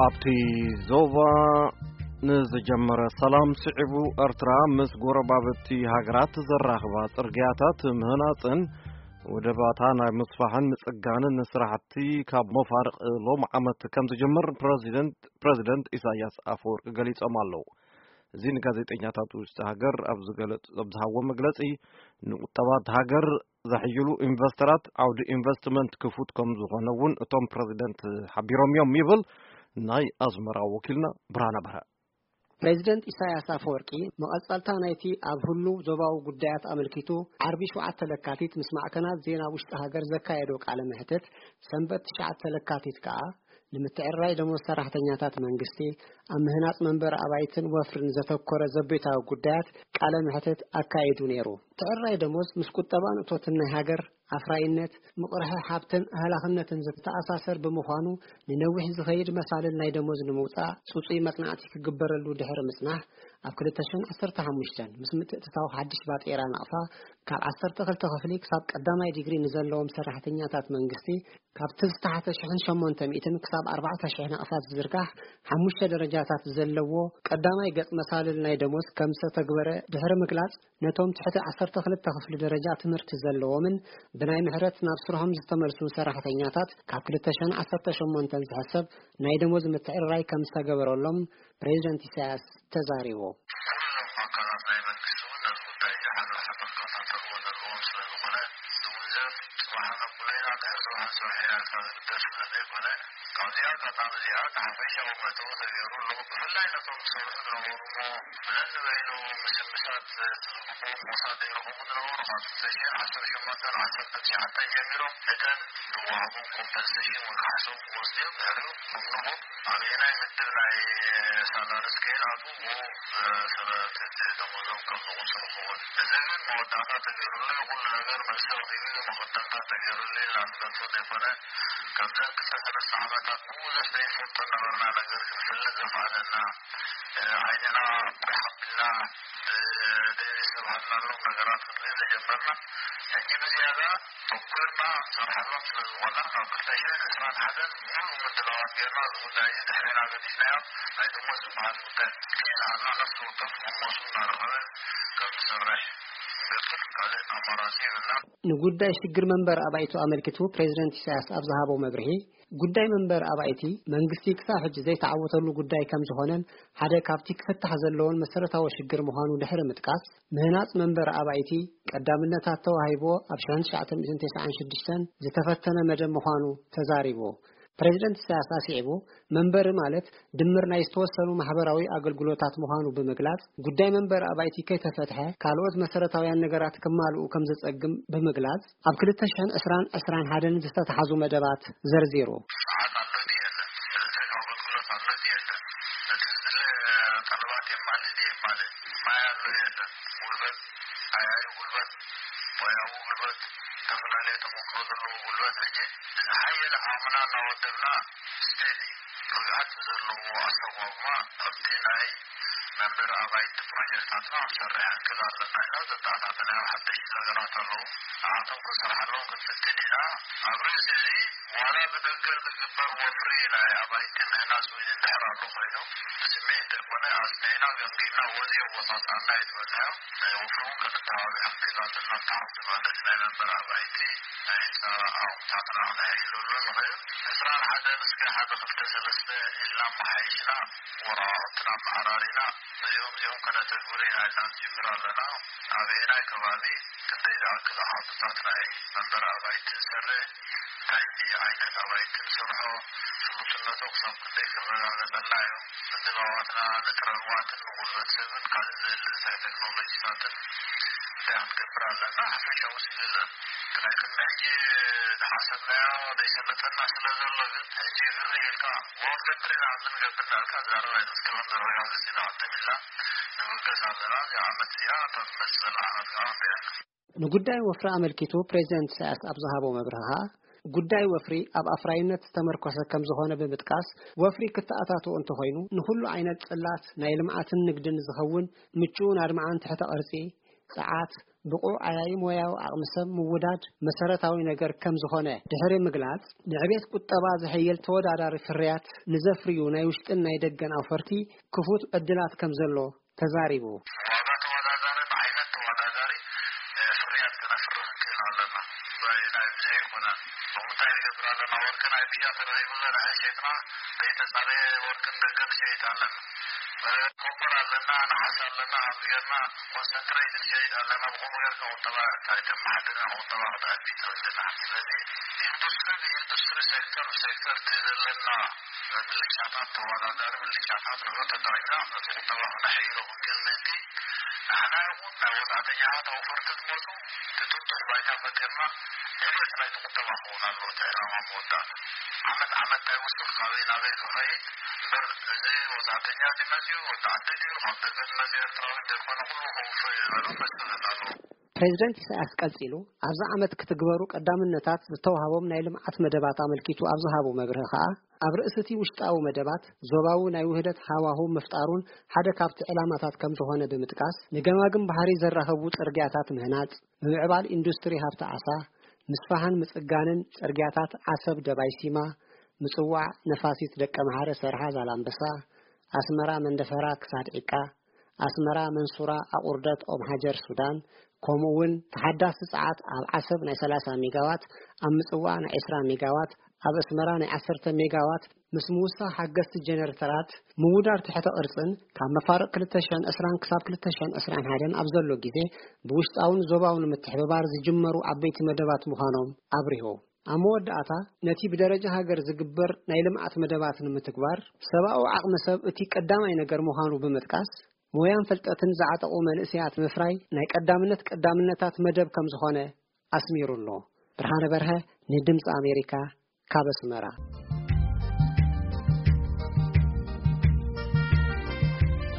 ኣብቲ ዞባ ንዝጀመረ ሰላም ስዒቡ፣ ኤርትራ ምስ ጎረባብቲ ሃገራት ዘራኽባ ጽርግያታት ምህናጽን ወደባታ ናይ ምስፋሕን ምጽጋንን ስራሕቲ ካብ መፋርቕ ሎም ዓመት ከም ዝጀምር ፕረዚደንት፣ ፕረዚደንት ኢሳያስ ኣፈወርቂ ገሊጾም ኣለዉ። እዚ ንጋዜጠኛታት ውሽጢ ሃገር ኣብ ዝገለጽ-፣ ኣብ ዝሃቦ መግለጺ፣ ንቁጠባት ሃገር ዘሕይሉ ኢንቨስተራት ዓውዲ ኢንቨስትመንት ክፉት ከም ዝኾነ እውን እቶም ፕረዚደንት ሓቢሮም እዮም ይብል ናይ ኣስመራ ወኪልና ብርሃነ በርሀ። ፕሬዚደንት ኢሳያስ ኣፈወርቂ መቐጸልታ ናይቲ ኣብ ህሉው ዞባዊ ጉዳያት ኣመልኪቱ ዓርቢ ሸውዓተ ለካቲት ምስ ማዕከናት ዜና ውሽጢ ሃገር ዘካየዶ ቃለ መሕትት፣ ሰንበት ትሽዓተ ለካቲት ከኣ ንምትዕርራይ ደሞዝ ሰራሕተኛታት መንግስቲ፣ ኣብ ምህናጽ መንበሪ ኣባይትን ወፍርን ዘተኮረ ዘቤታዊ ጉዳያት ቃለ መሕትት ኣካይዱ ነይሩ። ምትዕርራይ ደሞዝ ምስ ቁጠባን እቶትን ናይ ሃገር ኣፍራይነት፣ ምቕርሒ ሃብትን ኣህላኽነትን ዝተኣሳሰር ብምዃኑ፣ ንነዊሕ ዝኸይድ መሳልል ናይ ደሞዝ ንምውጻእ ጽጹይ መጽናዕቲ ክግበረሉ ድሕሪ ምጽናሕ፣ ኣብ ክልተ ሽሕን ዓሰርተ ሓሙሽተን ምስ ምትእትታው ሓድሽ ባጤራ ናቕፋ፣ ካብ ዓሰርተ ክልተ ክፍሊ ክሳብ ቀዳማይ ዲግሪ ንዘለዎም ሰራሕተኛታት መንግስቲ፣ ካብቲ ዝተሓተ ሽሕን ሸሞንተ ሚእትን ክሳብ ኣርባዕተ ሽሕ ናቕፋ ዝዝርጋሕ ሓሙሽተ ደረጃታት ዘለዎ ቀዳማይ ገጽ መሳልል ናይ ደሞዝ ከም ዝተተግበረ ድሕሪ ምግላጽ፣ ነቶም ትሕቲ ዓሰርተ ክልተ ክፍሊ ደረጃ ትምህርቲ ዘለዎምን ብናይ ምሕረት ናብ ስርሖም ዝተመልሱ ሰራሕተኛታት ካብ ክልተ ሽሕን ዓሰርተ ሸሞንተን ዝሕሰብ ናይ ደሞዝ ምትዕርራይ ከም ዝተገበረሎም ፕሬዚደንት ኢሳያስ ተዛሪቡ። ኩሎም ኣካላት ናይ መንግስቲ እውን ነዚ ጉዳይ እዚ ሓድሕዶም ክከታተልዎ ዘለዎም ስለ ዝኾነ፣ ዝውንዘፍ ጽባሕ ነብሎ ኢና፣ ድሕሪ ጽባሕ ንሰርሖ ኢና ኢልካ ዝግበር ስለ ዘይኮነ፣ ካብዚኣ ኣጋጣሚ እዚኣ እቲ ሓፈሻዊ መእተዊ ተገይሩ ኣሎ። ብፍላይ ነቶም ዝሰርሑ ዝነበሩ እሞ ብለን ንበይኑ ምስምሳት ዝግብኦም ሞሳድ ይረኸቡ ዝነበሩ ካብ ክልተ ሽሕን ዓሰርተ ሸሞንተን ዓሰርተ ትሽዓተን ጀሚሮም እተን ዝወሃቦም ኮምፐንሴሽን ወይ ካሕሶም ክወስዱ እዮም። ድሕሪኡ ከም ንቡር ኣበየናይ ምድብ ናይ ሳላሪ ስኬል ኣትዉ ብኡ መሰረት እቲ ደሞዞም ከም ዝቑጸሩ ክኸውን። እዚ ግን መወዳእታ ተገይሩሉ እዩ። ኩሉ ነገር መልሲ ረኺቡ እዩ። መኸተልታ ተገይሩሉ እዩ። ላስለቶ ዘይኮነ ከምዘን ክልተ ሰለስተ ዓመታት ብዙሕ ዘይንፈልጦ ነበርና፣ ነገር ግን ፍልጥ ዘኽኣለና፣ ዓይንና ብርሕ ኣቢልና ብደይሪ ዝተባህልናሎም ነገራት ክንርኢ ዝጀመርና። ሕጂ ብዝያዳ ተኮርና ንሰርሓሎም ስለ ዝኾና፣ ካብ ክልተ ሽሕን ዕስራን ሓደን ሙሉእ ምድላዋት ጌርና፣ እዚ ጉዳይ እዚ ድሕሬና ገዲፍናዮ። ናይ ደሞዝ ዝበሃል ጉዳይ ከየልዓልና፣ ነፍሲ ወከፍ መሞሱ እናረኸበ ከም ዝሰርሕ ንገብር፣ ካልእ ኣማራጺ የብልናን። ንጉዳይ ሽግር መንበሪ ኣባይቱ ኣመልኪቱ ፕሬዚደንት ኢሳያስ ኣብ ዝሃቦ መብርሂ፣ ጉዳይ መንበሪ ኣባይቲ መንግስቲ ክሳብ ሕጂ ዘይተዓወተሉ ጉዳይ ከም ዝኾነን ሓደ ካብቲ ክፍታሕ ዘለዎን መሰረታዊ ሽግር ምዃኑ ድሕሪ ምጥቃስ፣ ምህናጽ መንበሪ ኣባይቲ ቀዳምነታት ተዋሂብዎ ኣብ ሽሕን ትሽዓተ ሚእትን ተስዓን ሽዱሽተን ዝተፈተነ መደብ ምዃኑ ተዛሪቡ። ፕሬዚደንት ኢሳያስ ኣስዒቡ፣ መንበሪ ማለት ድምር ናይ ዝተወሰኑ ማሕበራዊ ኣገልግሎታት ምዃኑ ብምግላጽ፣ ጉዳይ መንበሪ ኣባይቲ ከይተፈትሐ ካልኦት መሰረታውያን ነገራት ክማልኡ ከም ዘጸግም ብምግላጽ፣ ኣብ ክልተ ሽሕን ዕስራን ዕስራን ሓደን ዝተተሓዙ መደባት ዘርዚሩ። ሰዓት ኣሎ ድዩ የለን? ኤሌክትሪክ ኣገልግሎት ኣሎ ድዩ የለን? እቲ ዝድለ ጠለባት የማልእ ድዩ የማልእ? ማይ ኣሎ የለን? ጉልበት፣ ሓያዩ ጉልበት፣ ሞያዊ ጉልበት፣ ዝተፈላለየ ተመክሮ ዘለዎ ጉልበት፣ ሕጂ ዝሓየለ ዓቕምና እናወደብና፣ ስቴዲ ርግኣት ዘለዎ ኣሰጓጉማ ኣብቲ ናይ መንበሪ ኣባይቲ ፕሮጀክታትና ክንሰርሕ ንክእል ኣለና ኢልና ዘተኣታተናዮም ሓደሽቲ ነገራት ኣለዉ። ንዓቶም ክንሰርሓሎም ክንፍትን ኢና። ኣብ ርእሲ እዚ፣ ዋላ ብደገ ዝግበር ወፍሪ ናይ ኣባይቲ ምህናጽ እውን እንድሕር ኣሎ ኮይኑ፣ ብስምዒት ዘይኮነ፣ ኣጽኒዕና፣ ገምጊምና፣ ወዚ ኣወጻጽኣና እዩ ዝበልናዮ። ናይ ወፍሪ እውን ከነተባብዕ ክንክእል ኣለና። ተሓቲ ማለት ናይ መንበሪ ኣባይቲ ናይ ህንጻ ኣቑሑታትና ክነዕይለሉ ንኽእል። ዕስራን ሓደን እስከ ሓደ ክልተ ሰለስተ ኢልና ኣመሓይሽና፣ ወረቓቕትና ኣመዓራሪና፣ ነዚኦም እዚኦም ከነተግብር ኢና ኢልና ንጅምር ኣለና። ኣበየናይ ከባቢ ክንደይ ዝኣክል ኣሃዱታት ናይ መንበሪ ኣባይቲ ንሰርሕ፣ እንታይ ዓይነት ኣባይቲ ንሰርሖ፣ ስሉጥነቱ ክሳብ ክንደይ ክረጋገጸልና እዩ። ምድላዋትና ንጥረ ንዋትን ንጉልበት ሰብን ካልእ ዘድሊ እንታይ ቴክኖሎጂታትን እንታይ ክንገብር ኣለና፣ ሓፈሻዊ ስእሊ ዘርኢ። ናይ ቅድሚ ሕጂ ዝሓሰብናዮ ዘይሰለጠና ስለ ዘሎ ግን፣ ሕጂ ግር ኢልካ፣ ወንፈት ትሪና ኣብዚ ንገብር እናበልካ፣ ዛረባ ኣይትስከሮን ዘረጋግጽ ኢና ቅድም ኢልና ንብገስ ኣለና። እዚኣ ዓመት እዚኣ፣ እታ ትመጽእ ዘላ ዓመት ከኣ ንሪኣ። ንጉዳይ ወፍሪ ኣመልኪቱ ፕሬዚደንት ኢሳያስ ኣብ ዝሃቦ መብርሂ ከኣ፣ ጉዳይ ወፍሪ ኣብ ኣፍራይነት ዝተመርኮሰ ከም ዝኾነ ብምጥቃስ፣ ወፍሪ ክተኣታትኦ እንተኾይኑ፣ ንኹሉ ዓይነት ጽላት ናይ ልምዓትን ንግድን ዝኸውን ምቹእን ኣድማዕን ትሕተ ቅርጺ፣ ጸዓት፣ ብቑዕ ዓያዪ ሞያዊ ዓቕሚ ሰብ ምውዳድ መሰረታዊ ነገር ከም ዝኾነ ድሕሪ ምግላጽ፣ ንዕቤት ቁጠባ ዘሐይል ተወዳዳሪ ፍርያት ንዘፍርዩ ናይ ውሽጥን ናይ ደገን ኣውፈርቲ ክፉት ዕድላት ከም ዘሎ ተዛሪቡ። ዋጋ ተወዳዳሪ፣ ብዓይነት ተወዳዳሪ ፍርያት ክነፍርህ ክንክእል ኣለና። ብናይ ብዘይ ኣይኮነን። ከምኡ እንታይ ንገብር ኣለና? ወርቂ ናይ ብሻ ተረኺቡ ዘርአ ሸይጥና፣ ዘይተጻረየ ወርቂ ንደገ ንሸይጥ ኣለና። ኮፐር ኣለና፣ ነሓስ ኣለና፣ ከምዚ ጌርና ኮንሰንትሬት ንሸይጥ ኣለና። ብኸምኡ ጌርካ ቁጠባ እንታይ ተመሓድር፣ ቁጠባ ክትኣቲ ትኽእል ኣለና። ስለዚ ኢንዱስትሪ ብኢንዱስትሪ፣ ሴክተር ብሴክተር እቲ ዘለና ምልሻታት፣ ተወዳዳሪ ምልሻታት ንብረት ተጠቒምና ነቲ ቁጠባ ክነሕይሎ ክንክእል ምእንቲ፣ ንሕና ይኹን ናይ ወጻእተኛታት ኣውፈርቲ ዝመጹ እቲ ጥጡሕ ባይታ ፈጢርና ዕብየት ናይቲ ቁጠባ ክኸውን ኣለዎ እቲ ዕላማ መወዳእታ። ዓመት ዓመት እንታይ ወስኽ ካበይ ናበይ ክኸይድ እምበር፣ እዚ ወጻእተኛ ድዩ መጺኡ፣ ወዲ ዓዲ ድዩ፣ ካብ ደገ ዝመጽእ ኤርትራዊ ዘይኮነ ኩሉ ከውፍር እዩ ዝበሉ መሰረት ኣለዎ። ፕሬዚደንት ኢሳያስ ቀጺሉ፣ ኣብዚ ዓመት ክትግበሩ ቀዳምነታት ዝተዋህቦም ናይ ልምዓት መደባት ኣመልኪቱ ኣብ ዝሃቦ መብርሂ ከኣ፣ ኣብ ርእሲ እቲ ውሽጣዊ መደባት፣ ዞባዊ ናይ ውህደት ሃዋህው ምፍጣሩን ሓደ ካብቲ ዕላማታት ከም ዝኾነ ብምጥቃስ፣ ንገማግም ባሕሪ ዘራኽቡ ጽርግያታት ምህናጽ፣ ምምዕባል ኢንዱስትሪ ሃብቲ ዓሳ፣ ምስፋሕን ምጽጋንን ጽርግያታት ዓሰብ ደባይ ሲማ፣ ምጽዋዕ ነፋሲት ደቀምሓረ ሰርሓ ዛላምበሳ፣ ኣስመራ መንደፈራ ክሳድ ዒቃ፣ ኣስመራ መንሱራ ኣቑርደት ኦም ሃጀር ሱዳን፣ ከምኡ እውን ተሓዳሲ ጸዓት ኣብ ዓሰብ ናይ ሰላሳ ሜጋዋት፣ ኣብ ምጽዋዕ ናይ ዕስራ ሜጋዋት፣ ኣብ ኣስመራ ናይ ዓሰርተ ሜጋዋት ምስ ምውሳኽ ሓገዝቲ ጀነሬተራት፣ ምውዳር ትሕተ ቅርጽን ካብ መፋርቕ ክልተ ሽሕን ዕስራን ክሳብ ክልተ ሽሕን ዕስራን ሓደን ኣብ ዘሎ ግዜ ብውሽጣውን ዞባውን ምትሕብባር ዝጅመሩ ዓበይቲ መደባት ምዃኖም ኣብሪሁ። ኣብ መወዳእታ ነቲ ብደረጃ ሃገር ዝግበር ናይ ልምዓት መደባት ንምትግባር ሰብኣዊ ዓቕሚ ሰብ እቲ ቀዳማይ ነገር ምዃኑ ብምጥቃስ፣ ሞያን ፍልጠትን ዝዓጠቑ መንእሰያት ምፍራይ ናይ ቀዳምነት ቀዳምነታት መደብ ከም ዝኾነ ኣስሚሩ ኣሎ። ብርሃነ በርሀ ንድምፂ ኣሜሪካ ካብ ኣስመራ።